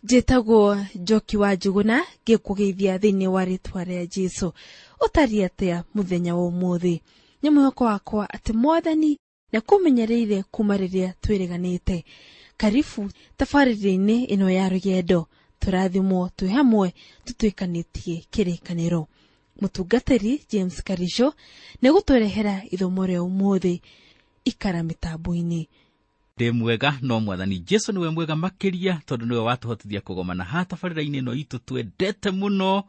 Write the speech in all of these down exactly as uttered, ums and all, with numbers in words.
Njĩtagwo Njoki wa Njuguna, ngĩkũgeithia thĩinĩ wa rĩtwa rĩa Jesũ. Ũtariĩ atĩa mũthenya wa ũmũthĩ? Nĩ mwĩhoko wakwa atĩ Mwathani nĩakũmenyereire kuma rĩrĩa twĩrĩganĩte. Karibu tabarĩra-inĩ ĩno ya rũgendo, tũrathimwo twĩ hamwe tũtuĩkanĩtie kĩrĩkanĩro. Mũtungatĩri James Karisho nĩegũtũrehera ithomo rĩa ũmũthĩ. Ikara mĩtambo-inĩ. Ndĩ mwega no Mwathani Jesu nĩwe mwega makĩria, tondũ nĩwe watũhotithia kũgomana haha tabarĩra-inĩ ĩno itũ twendete mũno,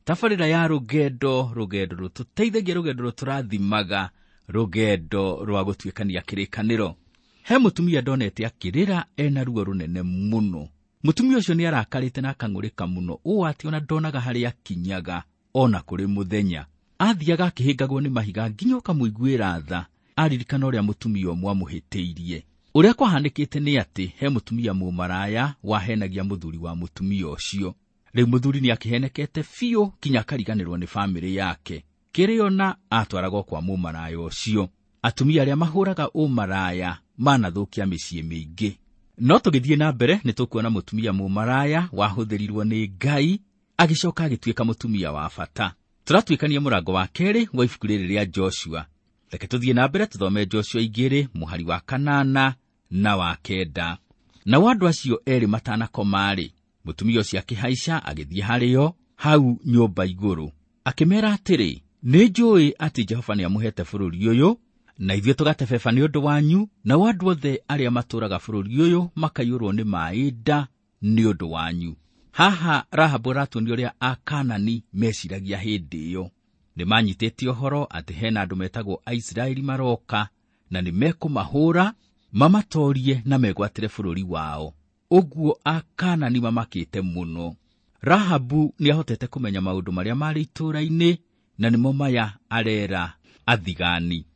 tabarĩra ya rũgendo, rũgendo rũtũteithagia, rũgendo rũtũrathimaga, rũgendo rwa gũtuĩkania kĩrĩkanĩro. He mũtumia ndonete akĩrĩra ena ruo rũnene mũno. Mũtumia ũcio nĩ arakarĩte na akang'ũrĩka mũno ũũ atĩ ona ndonaga harĩa akinyaga ona kũrĩ mũthenya. Athiaga akĩhĩngagwo nĩ mahiga nginya ũkamũiguĩra tha, aririkana ũrĩa mũtumia ũmwe amũhĩtĩirie. Ũrĩa kwahanĩkĩte nĩ atĩ he mũtumia mũmaraya wahenagia mũthuri wa mũtumia ũcio. Rĩu mũthuri nĩ akĩhenekete biũ kinya akariganĩrwo nĩ bamĩrĩ yake. Kĩrĩona atwaragwo kwa mũmaraya ũcio. Atumia arĩa mahũraga ũmaraya manathũkia mĩciĩ mĩingĩ. No tũgĩthiĩ na mbere nĩ tũkuona mũtumia mũmaraya wahũthĩrirwo nĩ Ngai agĩcoka agĩtuĩka mũtumia wa bata. Tũratuĩkania mũrango wa kerĩ wa ibuku rĩrĩ rĩa Joshua. Reke tũthiĩ na mbere tũthome Joshua igĩrĩ mũhari wa kanana na wa kenda. Nao andũ acio erĩ matanakoma-rĩ, mũtumia ũcio akĩhaica agĩthiĩ harĩo hau nyũmba igũrũ, akĩmeera atĩrĩ, nĩ njũĩ atĩ Jehova nĩamũhete bũrũri ũyũ, na ithuĩ tũgatebeba nĩ ũndũ wanyu, nao andũ othe arĩa matũũraga bũrũri ũyũ makaiyũrwo nĩ maaĩ nda nĩ ũndũ wanyu. Haha Rahabu aratuonia ũrĩa Akanani meciragia hĩndĩ ĩyo. Nĩmanyitĩte ũhoro atĩ hena andũ metagwo Aisiraeli maroka na nĩmekũmahũra mamatorie na megwatĩre bũrũri wao. Ũguo Akanani mamakĩte mũno. Rahabu nĩahotete kũmenya maũndũ marĩa marĩ itũũra-inĩ na nĩmo maya arera athigani.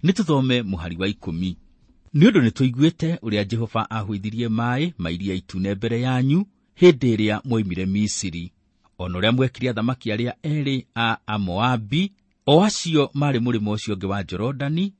Nĩtũthome mũhari wa ikũmi. Nĩ ũndũ nĩtũiguĩte ũrĩa Jehova ahũithirie maaĩ ma iria itune mbere yanyu hĩndĩ ĩrĩa mwoimire Misiri, ona ũrĩa mwekire athamaki arĩa erĩ a Amoabi, o acio marĩ mũrĩmo ũcio ũngĩ wa Jorodani,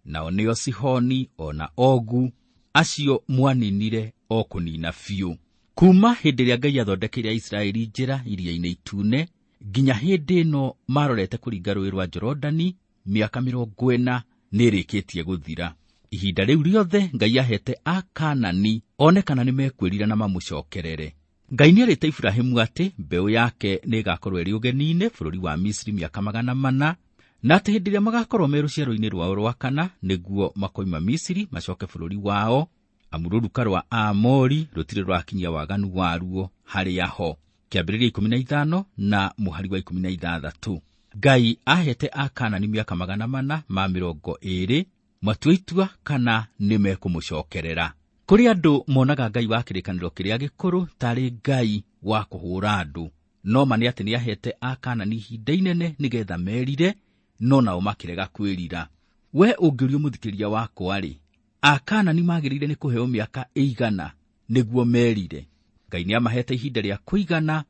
nao nĩo Sihoni ona Ogu, acio mwaninire o kũnina biũ. Kuma hĩndĩ ĩrĩa Ngai athondekeire Aisiraeli njĩra iria-inĩ itune nginya hĩndĩ ĩno marorete kũringa rũũĩ rwa Jorodani, mĩaka mĩrongo ĩna nĩĩrĩkĩtie gũthira. Ihinda rĩu rĩothe Ngai ahete Akanani one kana nĩmekwĩrira na mamũcokerere. Ngai nĩerĩte Iburahĩmu atĩ mbeũ yake nĩĩgakorwo ĩrĩ ũgeni-inĩ bũrũri wa Misiri mĩaka magana mana, na atĩ hĩndĩ ĩrĩa magakorwo me rũciaro-inĩ rwao rwa kana nĩguo makoima Misiri macoke bũrũri wao, amu rũruka rwa Aamori rũtirĩ rũrakinyia waganu waruo harĩa ho. Kĩambĩrĩria ikũmi na ithano na mũhari wa ikũmi na ithathatũ. Ngai ahete Akanani mĩaka magana mana ma mĩrongo ĩĩrĩ matue itua kana nĩmekũmũcokerera. Kũrĩ andũ monaga Ngai wa kĩrĩkanĩro kĩrĩa gĩkũrũ tarĩ Ngai wa kũhũra andũ, no ma nĩ atĩ nĩahete Akanani ihinda inene nĩgetha merire, no nao makĩrega kwĩrira. We ũngĩũrio mũthikĩria wakwa-rĩ, Akanani magĩrĩire nĩ kũheo mĩaka ĩigana nĩguo merire? Ngai nĩamahete ihinda rĩa kũigana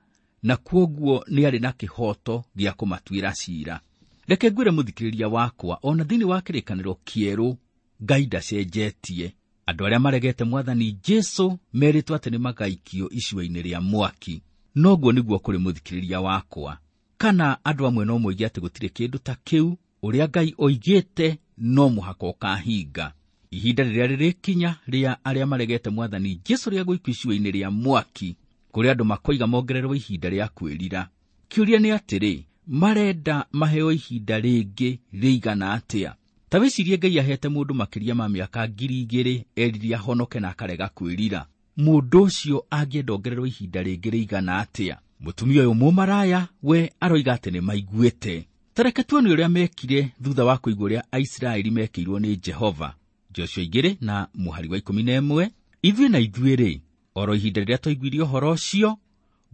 na kwoguo nĩarĩ na kĩhooto gĩa kũmatuĩra ciira. Reke ngwĩre mũthikĩrĩria wakwa, ona thĩinĩ wa kĩrĩkanĩro kĩerũ Ngai ndacenjetie. Andũ arĩa maregete Mwathani Jesũ merĩtwo atĩ nĩmagaikio icua-inĩ rĩa mwaki. Noguo nĩguo kũrĩ mũthikĩrĩria wakwa. Kana andũ amwe no moige atĩ gũtirĩ kĩndũ ta kĩu, ũrĩa Ngai oigĩte no mũhaka ũkahinga. Ihinda rĩrĩa rĩrĩkinya rĩa arĩa maregete Mwathani Jesũ rĩa gũikio icua-inĩ rĩa mwaki, kũrĩa andũ makoiga mongererwo ihinda rĩa kwĩrira. Kĩũria nĩ atĩrĩ, marenda maheo ihinda rĩngĩ rĩigana atĩa? Ta wĩcirie Ngai ahete mũndũ makĩria ma mĩaka ngiri igĩrĩ erire ahonoke na akarega kwĩrira. Mũndũ ũcio angĩenda ongererwo ihinda rĩngĩ rĩigana atĩa? Mũtumia ũyũ mũmaraya we aroiga atĩ nĩmaiguĩte. Ta reke tuone ũrĩa mekire thutha wa kũigua ũrĩa Aisiraeli mekĩirwo nĩ Jehova. Joshua igĩrĩ na mũhari wa ikũmi na ĩmwe. Ithuĩ na ithuĩ-rĩ, oro ihinda rĩrĩa twaiguire ũhoro ũcio,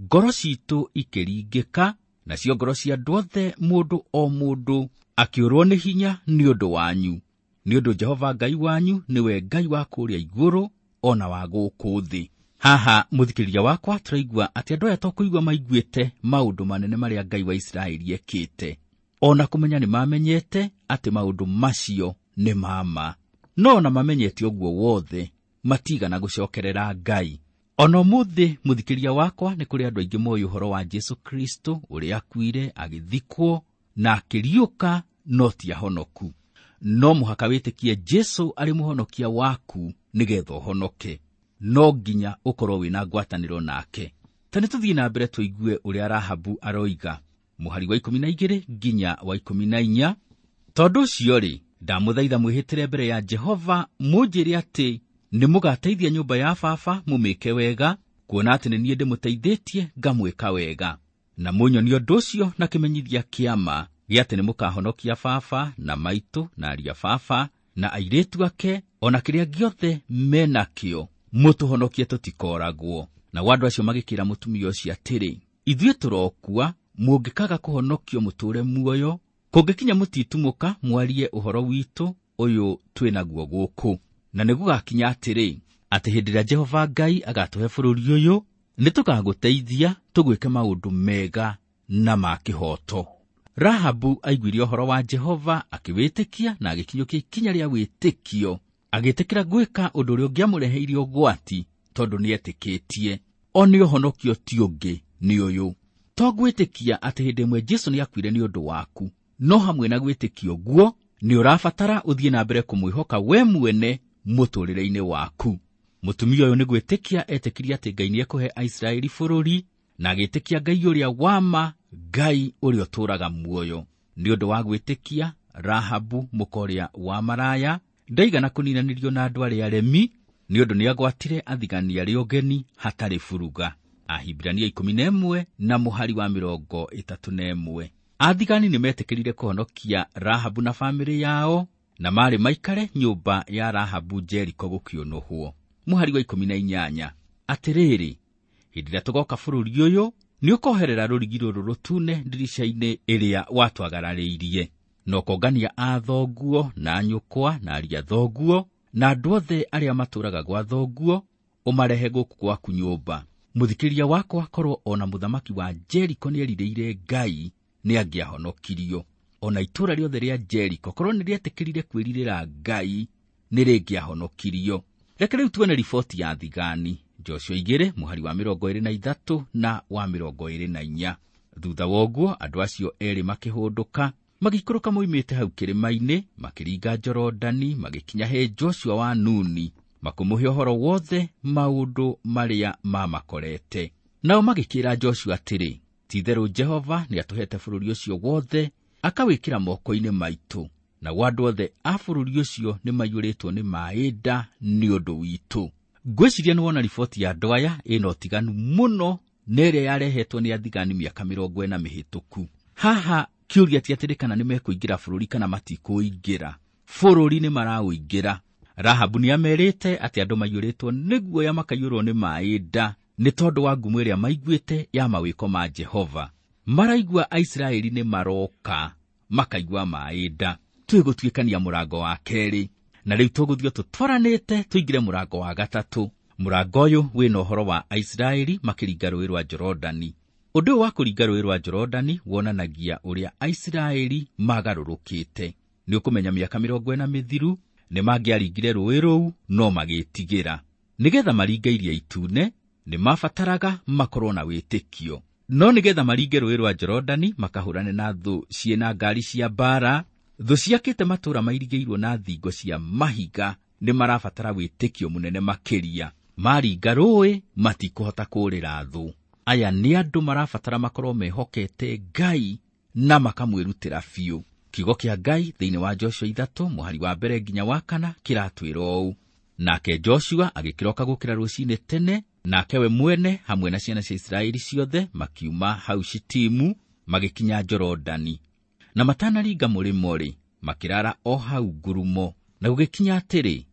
ngoro citũ ikĩringĩka, nacio ngoro cia andũ othe mũndũ o mũndũ akĩũrwo nĩ hinya nĩ ũndũ wanyu. Nĩ ũndũ Jehova Ngai wanyu nĩwe Ngai wa kũrĩa igũrũ ona wa gũkũ thĩ. Haha mũthikĩrĩria wakwa tũraigua atĩ andũ aya to kũigua maiguĩte maũndũ manene marĩa Ngai wa Isiraeli ekĩte, ona kũmenya nĩmamenyete atĩ maũndũ macio nĩ ma ma. No ona mamenyete ũguo wothe, matigana gũcokerera Ngai. Ona ũmũthĩ mũthikĩria wakwa, nĩ kũrĩ andũ aingĩ moĩ ũhoro wa Jesu Kristo ũrĩa akuire, agĩthikwo na akĩriũka, no ti ahonoku. No mũhaka wĩtĩkie Jesu arĩ mũhonokia waku nĩgetha ũhonoke. No nginya ũkorwo wĩna ngwatanĩro nake. Ta nĩ tũthiĩ na mbere tũigue ũrĩa Rahabu aroiga. Mũhari wa ikũmi na igĩrĩ nginya wa ikũmi na inya. Tondũ ũcio-rĩ, ndamũthaitha mwĩhĩtĩre mbere ya Jehova mũnjĩre atĩ nĩ mũgateithia nyũmba ya baba mũmĩke wega, kuona atĩ nĩ niĩ ndĩmũteithĩtie ngamwĩka wega. Na mũnyonie ũndũ ũcio na kĩmenyithia kĩa ma gĩa atĩ nĩ mũkahonokia baba na maitũ na aria baba na airĩtu ake o na kĩrĩa gĩothe menakĩo, mũtũhonokie tũtikoragwo. Nao andũ acio magĩkĩra mũtumia ũcio atĩrĩ, ithuĩ tũrokua, mũngĩkaga kũhonokio mũtũũre muoyo, kũngĩkinya mũtitumũka mwarie ũhoro witũ ũyũ twĩ naguo gũkũ. Na nĩ gũgakinya atĩrĩ, atĩ hĩndĩ ĩrĩa Jehova Ngai agatũhe bũrũri ũyũ, nĩ tũgagũteithia tũgwĩke maũndũ mega na ma kĩhooto. Rahabu aiguire ũhoro wa Jehova akĩwĩtĩkia na agĩkinyũkia ikinya rĩa wĩtĩkio, agĩtĩkĩra gwĩka ũndũ ũrĩa ũngĩamũreheire ũgwati tondũ nĩetĩkĩtie. O nĩ ũhonokio ti ũngĩ nĩ ũyũ. To gwĩtĩkia atĩ hĩndĩ ĩmwe Jesu nĩakuire nĩ ũndũ waku, no hamwe na gwĩtĩkia ũguo nĩ ũrabatara ũthiĩ na mbere kũmwĩhoka we mwene mũtũũrĩre-inĩ waku. Mũtumia ũyũ nĩ gwĩtĩkia etĩkirie atĩ Ngai nĩekũhe Aisiraeli bũrũri, na agĩtĩkia Ngai ũrĩa wa ma, Ngai ũrĩa ũtũũraga muoyo. Nĩ ũndũ wa gwĩtĩkia, Rahabu mũka ũrĩa wa maraya ndaigana kũninanĩrio na andũ arĩa aremi, nĩ ũndũ nĩagwatire athigani arĩa ũgeni hatarĩ buruga. Ahibirania ikũmi na ĩmwe na mũhari wa mĩrongo ĩtatũ na ĩmwe. Athigani nĩmetĩkĩrire kũhonokia Rahabu na bamĩrĩ yao, na marĩ maikare nyũmba ya Rahabu Jeriko gũkĩũnũhwo. Mũhari wa ikũmi na inyanya. Atĩrĩrĩ, hĩndĩ ĩrĩa tũgoka bũrũri ũyũ, nĩũkoherera rũrigi rũrũ rũtune ndirica-inĩ ĩrĩa watwagararĩirie, na ũkongania a thoguo na nyũkwa na aria thoguo na andũ othe arĩa matũũraga gwa thoguo, ũmarehe gũkũ gwaku nyũmba. Mũthikĩria wakwa, korwo ona mũthamaki wa Jeriko nĩerirĩire Ngai, nĩangĩahonokirio. Ona itũũra rĩothe rĩa Jeriko korwo nĩrĩetĩkĩrire kwĩrirĩra Ngai, nĩrĩngĩahonokirio. Reke rĩu tuone riboti ya thigani. Joshua igĩrĩ mũhari wa mĩrongo ĩrĩ na ithatũ na wa mĩrongo ĩrĩ na inya. Thutha wa ũguo andũ acio erĩ makĩhũndũka, magĩikũrũka moimĩte hau kĩrĩma-inĩ, makĩringa Jorodani, magĩkinya he Joshua wa Nuni, makĩmũhe ũhoro wothe maũndũ marĩa mamakorete. Nao magĩkĩra Joshua atĩrĩ, ti-itherũ Jehova nĩatũhete bũrũri ũcio wothe, akawĩkĩra moko-inĩ maitũ, nao andũ othe a bũrũri ũcio nĩmaiyũrĩtwo nĩ maĩ nda nĩ ũndũ witũ. Ngwĩciria nĩwona riboti ya andũ aya ĩna ũtiganu mũno na ĩrĩa yarehetwo nĩ athigani mĩaka mĩrongo ĩna mĩhĩtũku. Haha kĩũria ti atĩrĩ kana nĩmekũingĩra bũrũri kana matikũingĩra. Bũrũri nĩmaraũingĩra. Rahabu nĩamerĩte atĩ andũ maiyũrĩtwo nĩ guoya makaiyũrwo nĩ maĩ nda nĩ tondũ wa ngumo ĩrĩa maiguĩte ya mawĩko ma Jehova. Maraigua Aisiraeli nĩ maroka, makaigua maĩ nda. Twĩgũtuĩkania mũrango wa kerĩ, na rĩu tũgũthiĩ tũtwaranĩte tũingĩre mũrango wa gatatũ. Mũrango ũyũ wĩna ũhoro wa Aisiraeli makĩringa rũĩ rwa Jorodani. Ũndũ ũyũ wa kũringa rũĩ rwa Jorodani wonanagia ũrĩa Aisiraeli magarũrũkĩte. Nĩ ũkũmenya mĩaka mĩrongo ĩna mĩthiru nĩmangĩaringire rũĩ rũu no magĩtigĩra. Nĩgetha maringe Iria Itune nĩmabataraga makorwo na wĩtĩkio. No nĩgetha maringe rũĩ rwa Jorodani makahũrane na thũ ciĩna ngari cia mbaara, thũ ciakĩte matũũra mairigĩirwo na thingo cia mahiga, nĩmarabatara wĩtĩkio mũnene makĩria. Maringa rũĩ matikũhota kũũrĩra thũ. Aya nĩ andũ marabatara makorwo mehokete Ngai na makamwĩrutĩra biũ. Kiugo kĩa Ngai thĩinĩ wa Joshua ithatũ mũhari wa mbere nginya wa kana kĩratwĩra ũũ: Nake Joshua agĩkĩroka gũkĩra rũcinĩ tene, nake we mwene hamwe na ciana cia Isiraeli ciothe makiuma hau Shitimu magĩkinya Jorodani. Na matanaringa mũrĩmo-rĩ, makĩrara o hau ngurumo. Na gũgĩkinya atĩrĩ,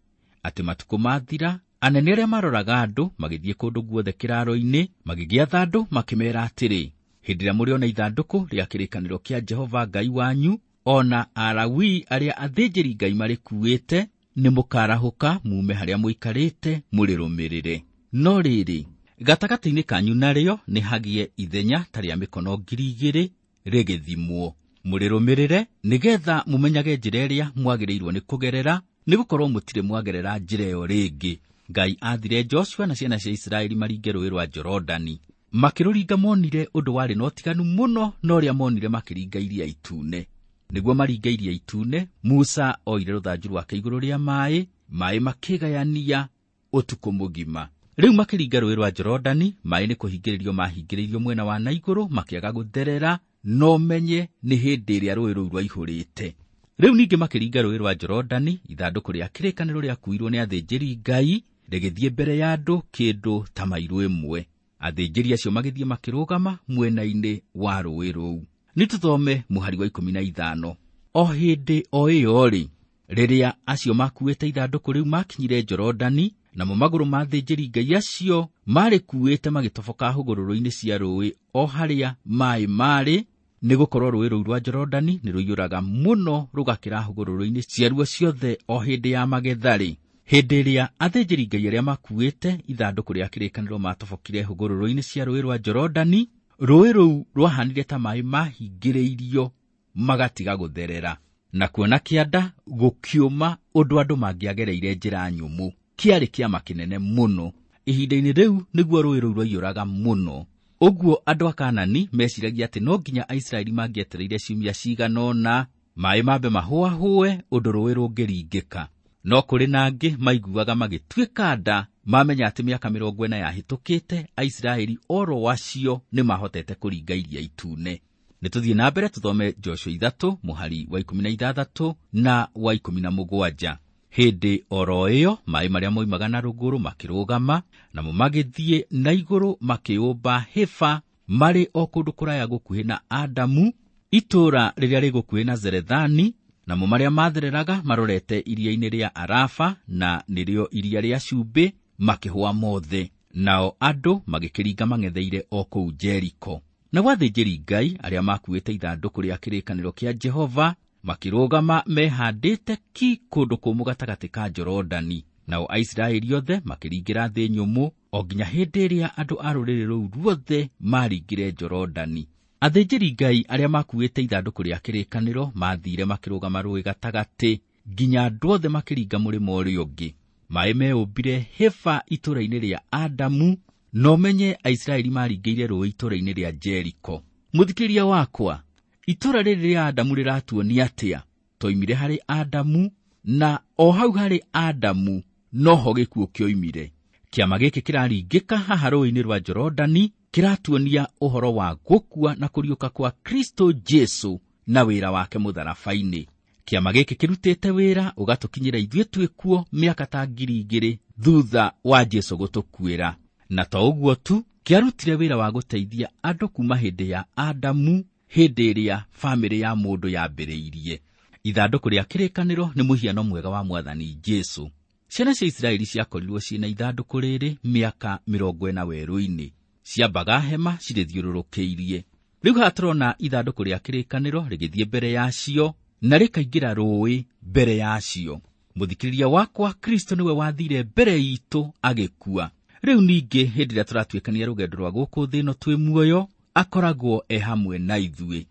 atĩ matukũ mathira, anene arĩa maroraga andũ magĩthiĩ kũndũ guothe kĩraaro-inĩ, magĩgĩatha andũ makĩmeera atĩrĩ, hĩndĩ ĩrĩa mũrĩona ithandũkũ rĩa kĩrĩkanĩro kĩa Jehova Ngai wanyu, ona Alawii arĩa athĩnjĩri Ngai marĩkuĩte, nĩmũkarahũka mume harĩa mũikarĩte mũrĩrũmĩrĩre. No rĩrĩ, gatagatĩ-inĩ kanyu narĩo nĩ hagĩe ithenya ta rĩa mĩkono ngiri igĩrĩ rĩgĩthimwo. Mũrĩrũmĩrĩre nĩgetha mũmenyage njĩra ĩrĩa mwagĩrĩirwo nĩ kũgerera, nĩgũkorwo mũtirĩ mwagerera njĩra ĩyo rĩngĩ. Ngai aathire Joshua na ciana cia Isiraeli maringe rũũĩ rwa Jorodani. Makĩrũringa monire ũndũ warĩ na ũtiganu mũno na ũrĩa monire makĩringa Iria Itune. Nĩguo maringe Iria Itune, Musa oire rũthanju rwake igũrũ rĩa maaĩ, maaĩ makĩgayania ũtukũ mũgima. Rĩu makĩringa rũũĩ rwa Jorodani, maaĩ nĩ kũhingĩrĩrio mahingĩrĩirio mwena wa na igũrũ makĩaga gũtherera, no menye nĩ hĩndĩ ĩrĩa rũũĩ rũu rwaihũrĩte. Rĩu ningĩ makĩringa rũũĩ rwa Jorodani, ithandũkũ rĩa kĩrĩkanĩro rĩakuirwo nĩ athĩnjĩri Ngai rĩgĩthiĩ mbere ya andũ kĩndũ ta mairũ ĩmwe. Athĩnjĩri acio magĩthiĩ makĩrũgama mwena-inĩ wa rũũĩ rũu. Nĩ tũthome mũhari wa ikũmi na ithano. O hĩndĩ o ĩyo-rĩ, rĩrĩa acio makuĩte ithandũkũ rĩu makinyire Jorodani, namo magũrũ ma athĩnjĩri Ngai acio marĩkuĩte magĩtoboka hũgũrũrũ-inĩ cia rũũĩ o harĩa maaĩ marĩ, nĩgũkorwo rũũĩ rũu rwa Jorodani nĩ rũiyũraga mũno rũgakĩra hũgũrũrũ-inĩ ciaruo ciothe o hĩndĩ ya magetha-rĩ. Hĩndĩ ĩrĩa athĩnjĩri Ngai arĩa makuĩte ithandũkũ rĩa kĩrĩkanĩro matobokire hũgũrũrũ-inĩ cia rũũĩ rwa Jorodani, rũũĩ rũu rwahanire ta maaĩ mahingĩrĩirio magatiga gũtherera. Na kuona kĩanda gũkĩũma ũndũ andũ mangĩagereire njĩra nyũmũ. Kĩarĩ kĩama kĩnene mũno. Ihinda-inĩ rĩu nĩguo rũũĩ rũu rwaiyũraga mũno. Ũguo andũ a Kaanani meciragia atĩ no nginya Aisiraeli mangĩetereire ciumia cigana ũna maaĩ mambe mahũahũe ũndũ rũũĩ rũngĩringĩka. No kũrĩ na angĩ maiguaga magĩtuĩka nda mamenya atĩ mĩaka mĩrongo ĩna yahĩtũkĩte Aisiraeli oro acio nĩmahotete kũringa Iria Itune. Nĩ tũthiĩ na mbere tũthome Joshua ithatũ mũhari wa ikũmi na ithathatũ na wa ikũmi na mũgwanja. Hĩndĩ oro ĩyo maaĩ marĩa moimaga na rũgũrũ makĩrũgama, namo magĩthiĩ na igũrũ makĩũmba hĩba marĩ o kũndũ kũraya gũkuhĩ na Adamu, itũũra rĩrĩa rĩ gũkuhĩ na Zerethani, namo marĩa mathereraga marorete iria-inĩ rĩa Arafa na nĩrĩo iria rĩa cumbĩ makĩhũa mothe. Nao andũ magĩkĩringa mang'etheire o kũu Jeriko. Nao athĩnjĩri Ngai arĩa makuĩte ithandũkũ rĩa kĩrĩkanĩro kĩa Jehova makĩrũgama mehandĩte ki kũndũ kũmũ gatagatĩ ka Jorodani. Nao Aisiraeli othe makĩringĩra thĩ nyũmũ o nginya hĩndĩ ĩrĩa andũ a rũrĩrĩ rũu ruothe maringire Jorodani. Athĩnjĩri Ngai arĩa makuĩte ithandũkũ rĩa kĩrĩkanĩro mathiire makĩrũgama rũũĩ gatagatĩ nginya andũ othe makĩringa mũrĩmo ũrĩa ũngĩ. Maaĩ meũmbire hĩba itũũra-inĩ rĩa Adamu, no menye Aisiraeli maringĩire rũũĩ itũũra-inĩ rĩa Jeriko. Mũthikĩrĩria wakwa, itũũra rĩrĩ rĩa Adamu rĩratuonia atĩa? Twoimire harĩ Adamu, na o hau harĩ Adamu noho gĩkuũ kĩoimire. Kĩama gĩkĩ kĩraringĩka haha rũũĩ-inĩ rwa Jorodani kĩratuonia ũhoro wa gũkua na kũriũka kwa Kristo Jesu na wĩra wake mũtharaba-inĩ. Kĩama gĩkĩ kĩrutĩte wĩra ũgatũkinyĩra ithuĩ twĩkuo mĩaka ta ngiri igĩrĩ thutha wa Jesu gũtũkuĩra. Na to ũguo tu, kĩarutire wĩra wa gũteithia andũ kuma hĩndĩ ya Adamu, hĩndĩ ĩrĩa bamĩrĩ ya mũndũ yambĩrĩirie. Ithandũkũ rĩa kĩrĩkanĩro nĩ mũhiano mwega wa Mwathani Jesu. Ciana cia Isiraeli ciakorirwo ciĩna ithandũkũ rĩrĩ mĩaka mĩrongo ĩna werũ-inĩ. Ciambaga hema cirĩthiũrũrũkĩirie. Rĩu haha tũrona ithandũkũ rĩa kĩrĩkanĩro rĩgĩthiĩ mbere yacio na rĩkaingĩra rũũĩ mbere yacio. Mũthikĩrĩria wakwa, Kristo nĩwe wathire mbere itũ agĩkua. Rĩu ningĩ hĩndĩ ĩrĩa tũratuĩkania rũgendo rwa gũkũ thĩ ĩno twĩ muoyo, akoragwo e hamwe na ithuĩ.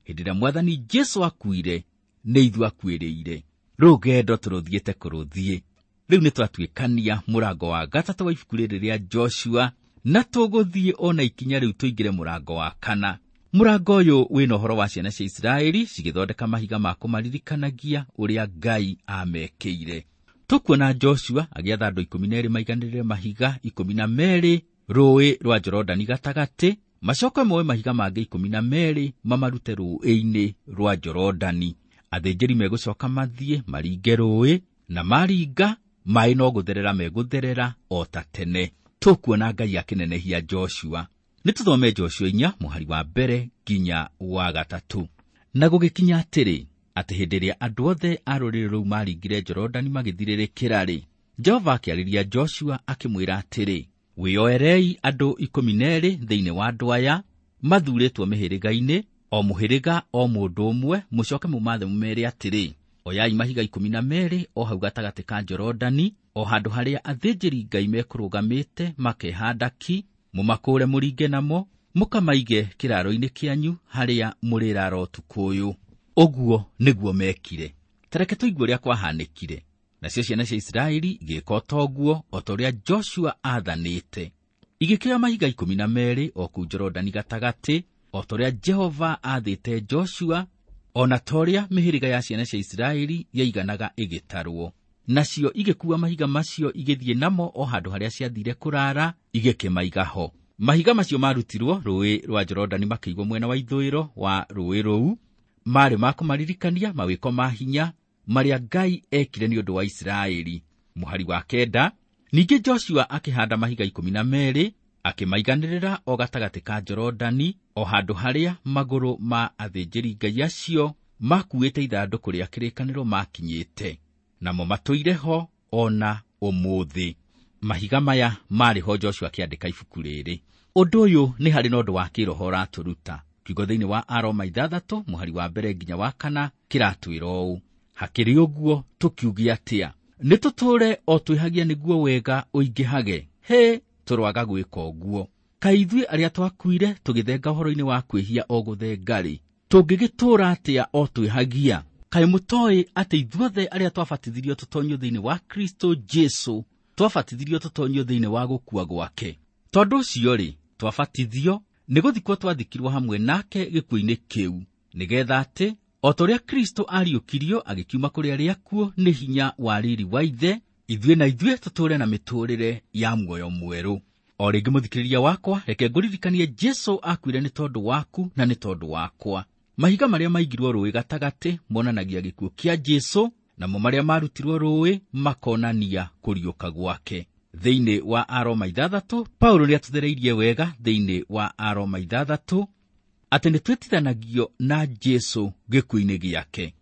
Hĩndĩ ĩrĩa Mwathani Jesu akuire, nĩ ithuĩ akuĩrĩire. Rũgendo tũrũthiĩte kũrũthiĩ. Rĩu nĩ twatuĩkania mũrango wa gatatũ wa ibuku rĩrĩ rĩa Joshua, na tũgũthiĩ ona ikinya rĩu tũingĩre mũrango wa kana. Mũrango ũyũ wĩna ũhoro wa ciana cia Isiraeli cigĩthondeka mahiga ma kũmaririkanagia ũrĩa Ngai amekĩire. Tũkuona Joshua agĩatha andũ ikũmi na erĩ maiganĩrĩre mahiga ikũmi na merĩ rũũĩ rwa Jorodani gatagatĩ, macoke moe mahiga mangĩ ikũmi na merĩ mamarute rũũĩ-inĩ rwa Jorodani. Athĩnjĩri megũcoka mathiĩ maringe rũũĩ, na maringa maaĩ no gũtherera megũtherera o ta tene. Tũkuona Ngai akĩnenehia Joshua. Nĩ tũthome Joshua inya mũhari wa mbere nginya wa gatatũ. Na gũgĩkinya atĩrĩ, atĩ hĩndĩ ĩrĩa andũ othe a rũrĩrĩ rũu maringire Jorodani magĩthirĩrĩkĩra-rĩ, Jehova akĩarĩria Joshua akĩmwĩra atĩrĩ, wĩyoerei andũ ikũmi na erĩ thĩinĩ wa andũ aya mathuurĩtwo mĩhĩrĩga-inĩ, o mũhĩrĩga o mũndũ ũmwe, mũcoke mũmathe mũmeere atĩrĩ, oyai mahiga ikũmi na merĩ o hau gatagatĩ ka Jorodani, o handũ harĩa athĩnjĩri Ngai mekũrũgamĩte makehanda ki, mũmakũũre mũringe namo, mũkamaige kĩraaro-inĩ kĩanyu harĩa mũrĩraara ũtukũ ũyũ. Ũguo nĩguo mekire. Ta reke tũigue ũrĩa kwahanĩkire. Nacio ciana cia Isiraeli igĩĩka o ta ũguo, o ta ũrĩa Joshua aathanĩte. Igĩkĩoya mahiga ikũmi na merĩ o kũu Jorodani gatagatĩ, o ta ũrĩa Jehova aathĩte Joshua, o na ta ũrĩa mĩhĩrĩga ya ciana cia Isiraeli yaiganaga ĩgĩtarwo. Nacio igĩkuua mahiga macio igĩthiĩ namo o handũ harĩa ciathiire kũrara, igĩkĩmaiga ho. Mahiga macio marutirwo rũũĩ rwa Jorodani makĩigwo mwena wa ithũĩro wa rũũĩ rũu, maarĩ ma kũmaririkania mawĩko ma hinya marĩa Ngai ekire nĩ ũndũ wa Isiraeli. Mũhari wa kenda, ningĩ Joshua akĩhanda mahiga ikũmi na merĩ, akĩmaiganĩrĩra o gatagatĩ ka Jorodani, o handũ harĩa magũrũ ma athĩnjĩri-Ngai acio makuĩte ithandũkũ rĩa kĩrĩkanĩro makinyĩte, namo matũire ho o na ũmũthĩ. Mahiga maya marĩ ho Joshua akĩandĩka ibuku rĩrĩ. Ũndũ ũyũ nĩ harĩ na ũndũ wa kĩroho ũratũruta. Kiugo thĩinĩ wa Aroma ithathatũ mũhari wa mbere nginya wa kana kĩratwĩra ũũ: hakĩrĩ ũguo tũkiuge atĩa? Nĩ tũtũũre o twĩhagia nĩguo wega ũingĩhage? Hĩ, tũroaga gwĩka ũguo. Kaĩ ithuĩ arĩa twakuire tũgĩthenga ũhoro-inĩ wa kwĩhia o gũthenga-rĩ, tũngĩgĩtũũra atĩa o twĩhagia? Kaĩ mũtoĩ atĩ ithuothe arĩa twabatithirio tũtonyio thĩinĩ wa Kristo Jesu, twabatithirio tũtonyio thĩinĩ wa gũkua gwake? Tondũ ũcio-rĩ, twabatithio nĩ gũthikwo twathikirwo hamwe nake gĩkuũ-inĩ kĩu, nĩgetha atĩ o ta ũrĩa Kristo ariũkirio agĩkiuma kũrĩ arĩa akuũ nĩ hinya wa riri wa Ithe, ithuĩ na ithuĩ tũtũũre na mĩtũũrĩre ya muoyo mwerũ. O rĩngĩ mũthikĩrĩria wakwa, reke ngũririkanie Jesu akuire nĩ tondũ waku na nĩ tondũ wakwa. Mahiga marĩa maigirwo rũũĩ gatagatĩ monanagia gĩkuũ kĩa Jesu, namo marĩa marutirwo rũũĩ makonania kũriũka gwake. Thĩinĩ wa Aroma ithathatũ, Paulo nĩatũthereirie wega thĩinĩ wa Aroma ithathatũ atĩ nĩtwĩtithanagio na Jesu gĩkuũ-inĩ gĩake.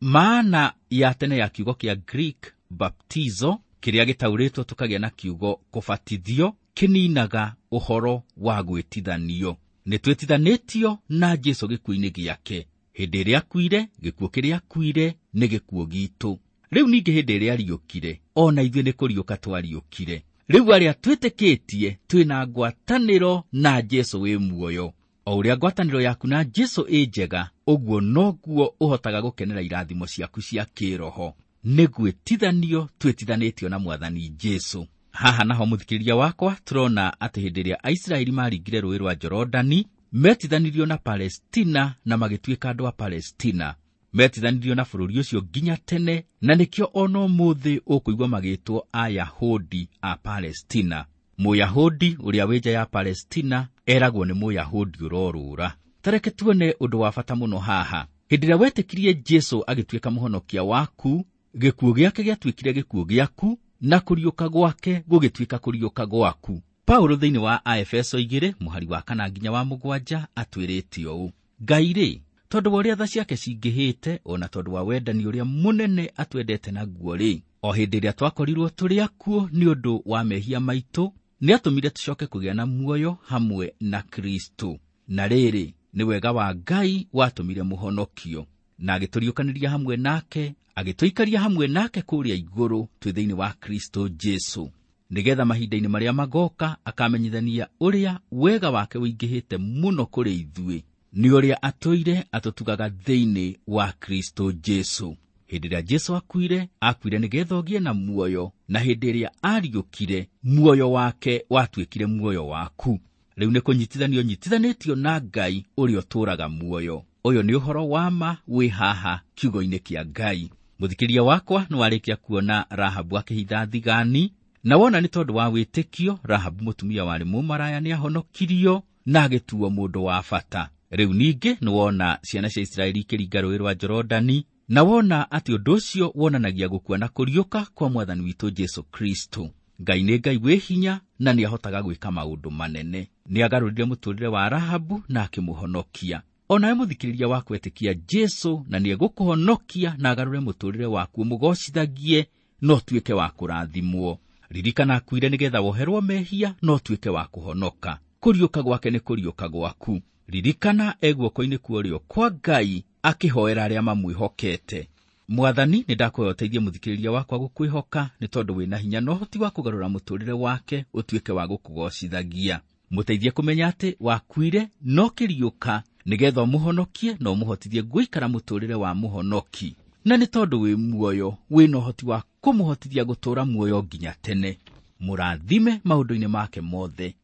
Maana ya tene ya kiugo kĩa Greek baptizo, kĩrĩa gĩtaũrĩtwo tũkagĩa na kiugo kũbatithio, kĩninaga ũhoro wa gwĩtithanio. Nĩtwĩtithanĩtio na Jesu gĩkuũ-inĩ gĩake. Hĩndĩ ĩrĩa akuire, gĩkuũ kĩrĩa akuire nĩ gĩkuũ gitũ. Rĩu ningĩ hĩndĩ ĩrĩa ariũkire, o na ithuĩ nĩ kũriũka twariũkire. Rĩu arĩa twĩtĩkĩtie twĩna ngwatanĩro na Jesu wĩ muoyo. O ũrĩa ngwatanĩro yaku na Jesu ĩ njega, ũguo noguo ũhotaga gũkenera irathimo ciaku cia kĩroho. Nĩ gwĩtithanio twĩtithanĩtio na Mwathani Jesu. Haha naho mũthikĩrĩria wakwa, tũrona atĩ hĩndĩ ĩrĩa Aisiraeli maringire rũũĩ rwa Jorodani, metithanirio na Palestina na magĩtuĩka andũ a Palestina. Metithanirio na bũrũri ũcio nginya tene, na nĩkĩo ona ũmũthĩ ũkũigua magĩtwo Ayahudi a Palestina. Mũyahudi ũrĩa wĩ nja ya Palestina eragwo nĩ Mũyahudi ũrorũra. Ta reke tuone ũndũ wa bata mũno haha. Hĩndĩ ĩrĩa wetĩkirie Jesu agĩtuĩka mũhonokia waku, gĩkuũ gĩake gĩatuĩkire gĩkuũ gĩaku, na kũriũka gwake gũgĩtuĩka kũriũka gwaku. Paulo thĩinĩ wa Aefeso igĩrĩ mũhari wa kana nginya wa mũgwanja atwĩrĩte ũũ: Ngai rĩ, tondũ wa ũrĩa tha ciake cingĩhĩte, ona tondũ wa wendani ũrĩa mũnene atwendete naguo rĩ, o hĩndĩ ĩrĩa twakorirwo tũrĩ akuũ nĩ ũndũ wa mehia maitũ, nĩatũmire tũcoke kũgĩa na muoyo hamwe na Kristo. Na rĩrĩ, nĩ wega wa Ngai watũmire mũhonokio, na agĩtũriũkanĩria hamwe nake, agĩtũikaria hamwe nake kũrĩa igũrũ twĩ thĩinĩ wa Kristo Jesu, nĩgetha mahinda-inĩ marĩa magoka akamenyithania ũrĩa wega wake ũingĩhĩte mũno kũrĩ ithuĩ, nĩ ũrĩa atũire atũtugaga thĩinĩ wa Kristo Jesu. Hĩndĩ ĩrĩa Jesu akuire, akuire nĩgetha ũgĩe na muoyo, na hĩndĩ ĩrĩa ariũkire, muoyo wake watuĩkire muoyo waku. Rĩu nĩ kũnyitithanio nyitithanĩtio na Ngai ũrĩa ũtũũraga muoyo. Ũyũ nĩ ũhoro wa ma wĩ haha kiugo-inĩ kĩa Ngai. Mũthikĩria wakwa, nĩ warĩkia kuona Rahabu akĩhitha thigani, na wona nĩ tondũ wa wĩtĩkio Rahabu mũtumia warĩ mũmaraya nĩahonokirio na agĩtuo mũndũ wa bata. Rĩu ningĩ nĩ wona ciana cia Isiraeli ikĩringa rũũĩ rwa Jorodani, na wona atĩ ũndũ ũcio wonanagia gũkua na kũriũka kwa Mwathani witũ Jesu Kristo. Ngai nĩ Ngai wĩ hinya na nĩahotaga gwĩka maũndũ manene. Nĩagarũrire mũtũũrĩre wa Rahabu na akĩmũhonokia. Onawe mũthikĩrĩria wa kwetĩkia Jesu na nĩegũkũhonokia na agarũre mũtũũrĩre waku ũmũgocithagie na ũtuĩke wa kũrathimwo. Ririkana akuire nĩgetha woherwo mehia na ũtuĩke wa kũhonoka. Kũriũka gwake nĩ kũriũka gwaku. Ririkana e guoko-inĩ kwa ũrĩo kwa Ngai akĩhoera arĩa mamwĩhokete. Mwathani, nĩ ndakũhoya ũteithie mũthikĩrĩria wakwa gũkwĩhoka, nĩ tondũ wĩna hinya na ũhoti wa kũgarũra mũtũũrĩre wake ũtuĩke wa gũkũgocithagia. Mũteithie kũmenya atĩ wakuire no kĩriũka nĩgetha ũmũhonokie na ũmũhotithie gũikara mũtũũrĩre wa mũhonoki. Na nĩ tondũ wĩ muoyo, wĩna ũhoti wa kũmũhotithia gũtũũra muoyo nginya tene. Mũrathime maũndũ-inĩ make mothe.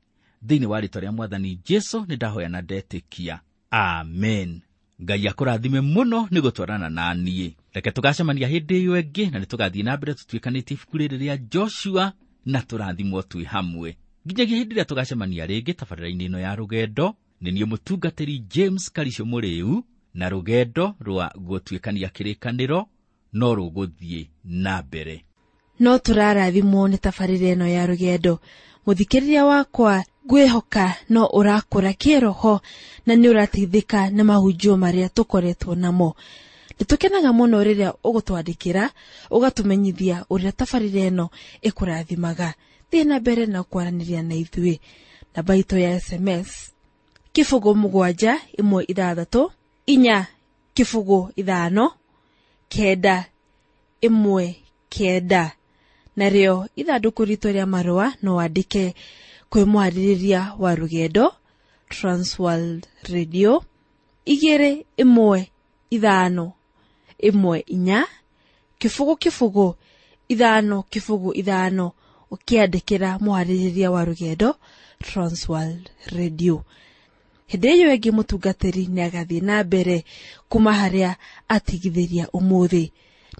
Thĩinĩ wa rĩĩtwa rĩa Mwathani Jesu nĩ ndahoya na ndetĩkia. Amen. Ngai akũrathime mũno nĩ gũtwarana na niĩ. Reke tũgacemania hĩndĩ ĩyo ĩngĩ, na nĩ tũgathiĩ na mbere tũtuĩkanĩtie ibuku rĩrĩ rĩa Joshua na tũrathimwo twĩ hamwe. Nginyagia hĩndĩ ĩrĩa tũgacemania rĩngĩ tabarĩra-inĩ ĩno ya rũgendo, nĩ niĩ mũtungatĩri James Karisho Mũrĩu, na rũgendo rwa gũtuĩkania kĩrĩkanĩro no rũgũthiĩ na mbere. No tũrarathimwo nĩ tabarĩra ĩno ya rũgendo. Mũthikĩrĩria wakwa, ngwĩhoka no ũrakũra kĩroho na nĩ ũrateithĩka nĩ mahunjio marĩa tũkoretwo namo. Nĩtũkenaga mũno rĩrĩa ũgũtwandĩkĩra, ũgatũmenyithia ũrĩa tabarĩra ĩno ĩkũrathimaga. Thiĩ na mbere na kwaranĩria na ithuĩ. Namba itũ ya S M S kĩbũgũ mũgwanja ĩmwe ithathatũ inya kĩbũgũ ithano kenda ĩmwe kenda. Narĩo ithandũkũ ritũ rĩa marũa no wandĩke kwĩ mwarĩrĩria wa rũgendo Transworld Radio igĩrĩ ĩmwe ithano ĩmwe inya kĩbũgũ kĩbũgũ ithano kĩbũgũ ithano, ũkĩandĩkĩra mwarĩrĩria wa rũgendo Transworld Radio. Hĩndĩ ĩyo ĩngĩ mũtungatĩri nĩagathiĩ na mbere kuma harĩa atigithĩria ũmũthĩ.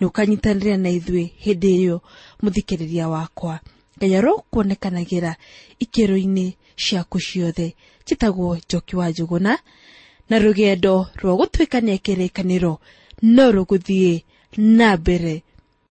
Nĩ ũkanyitanĩra na ithuĩ hĩndĩ ĩyo mũthikĩrĩria wakwa. Ngai arokuonekanagĩra ikĩro-inĩ ciaku ciothe. Njĩtagwo Njoki wa Njũgũna, na rũgendo rwa gũtuĩkania kĩrĩkanĩro no rũgũthiĩ na mbere.